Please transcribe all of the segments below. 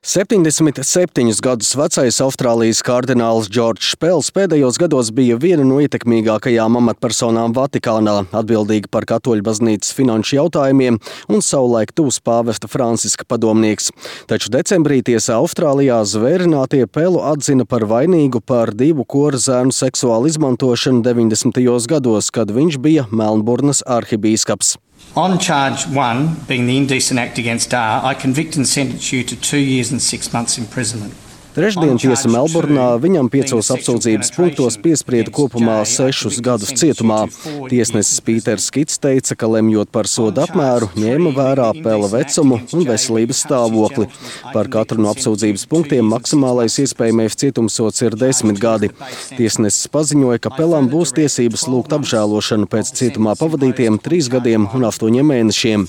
77 gadus vecais Austrālijas kardināls Džordžs Pels pēdējos gados bija viena no ietekmīgākajām amatpersonām Vatikānā, atbildīga par katoļu baznīcas finanšu jautājumiem un savulaik tuvs pāvesta Franciska padomnieks. Taču decembrī tiesā Austrālijā zvērinātie Pelu atzina par vainīgu par 2 korzēnu seksuālu izmantošanu 90. gados, kad viņš bija Melnburnas arhibīskaps. On charge 1, being the indecent act against R, I convict and sentence you to 2 years and 6 months imprisonment. Trešdien tiesa Melburnā viņam 5 apsūdzības punktos piesprieda kopumā 6 gadus cietumā. Tiesnesis Pīters Skits teica, ka lemjot par soda apmēru, ņēma vērā Pela vecumu un veselības stāvokli. Par katru no apsūdzības punktiem maksimālais iespējamais cietumsods ir 10 gadi. Tiesnesis paziņoja, ka Pelam būs tiesības lūgt apžēlošanu pēc cietumā pavadītiem 3 gadiem un 8 mēnešiem.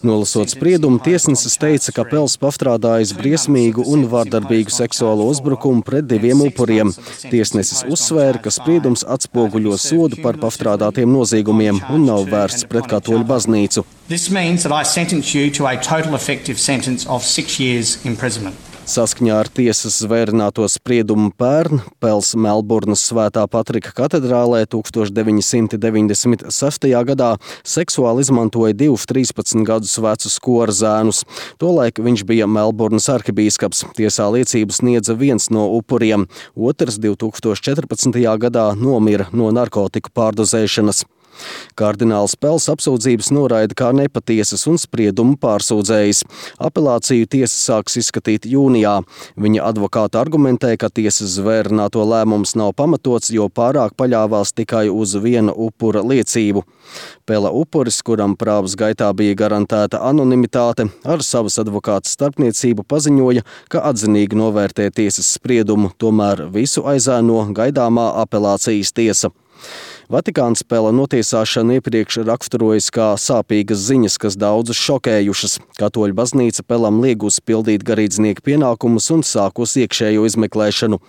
Nolasot spriedumu, tiesnesis teica, ka Pels pastrādājis briesmīgu un vardarbīgu seksuālo uzbrukumu pret 2 upuriem. Tiesnesis uzsvēra, ka spriedums atspoguļo sodu par pastrādātiem noziegumiem un nav vērsts pret katoļu baznīcu. This means that I sentence you to a total effective sentence of 6 years imprisonment. Saskaņā ar tiesas zvērināto spriedumu pērn Pels Melburnas Svētā Patrika katedrālē 1996. gadā seksuāli izmantoja 2 13 gadus vecus korzēnus. Tolaik viņš bija Melburnas arhibīskaps. Tiesā liecības sniedza viens no upuriem, otrs 2014. gadā nomira no narkotiku pārdozēšanas. Kardināls Pels apsūdzības noraida kā nepatiesas un spriedumu pārsūdzējis. Apelāciju tiesa sāks izskatīt jūnijā. Viņa advokāti argumentē, ka tiesas zvērināto lēmums nav pamatots, jo pārāk paļāvās tikai uz viena upura liecību. Pela upuris, kuram prāvas gaitā bija garantēta anonimitāte, ar savas advokātas starpniecību paziņoja, ka atzinīgi novērtē tiesas spriedumu, tomēr visu aizēno gaidāmā apelācijas tiesa. Vatikāns Pela notiesāšanu iepriekš raksturojas kā sāpīgas ziņas, kas daudzus šokējušas. Katoļu baznīca Pelam liegus pildīt garīdznieku pienākumus un sākus iekšējo izmeklēšanu.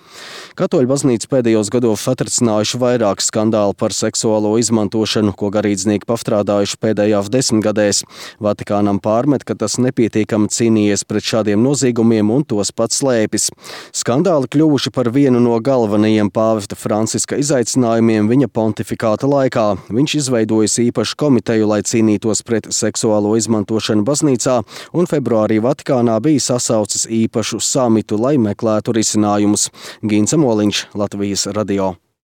Katoļu baznīca pēdējos gados atricinājuši vairāk skandālu par seksuālo izmantošanu, ko garīdznieki pastrādājuši pēdējās 10 gadēs. Vatikānam pārmet, ka tas nepietiekami cīnījies pret šādiem noziegumiem un tos pats slēpis. Skandāli kļuvuši par vienu no galvenajiem pāvesta Franciska izaicinājumiem viņa pontifikāta laikā. Viņš izveidojis īpašu komiteju, lai cīnītos pret seksuālo izmantošanu baznīcā, un februārī Vatikānā bija sasaucis īpašu samitu, lai meklētu risinājumus. Gints Moliņš, Latvijas radio.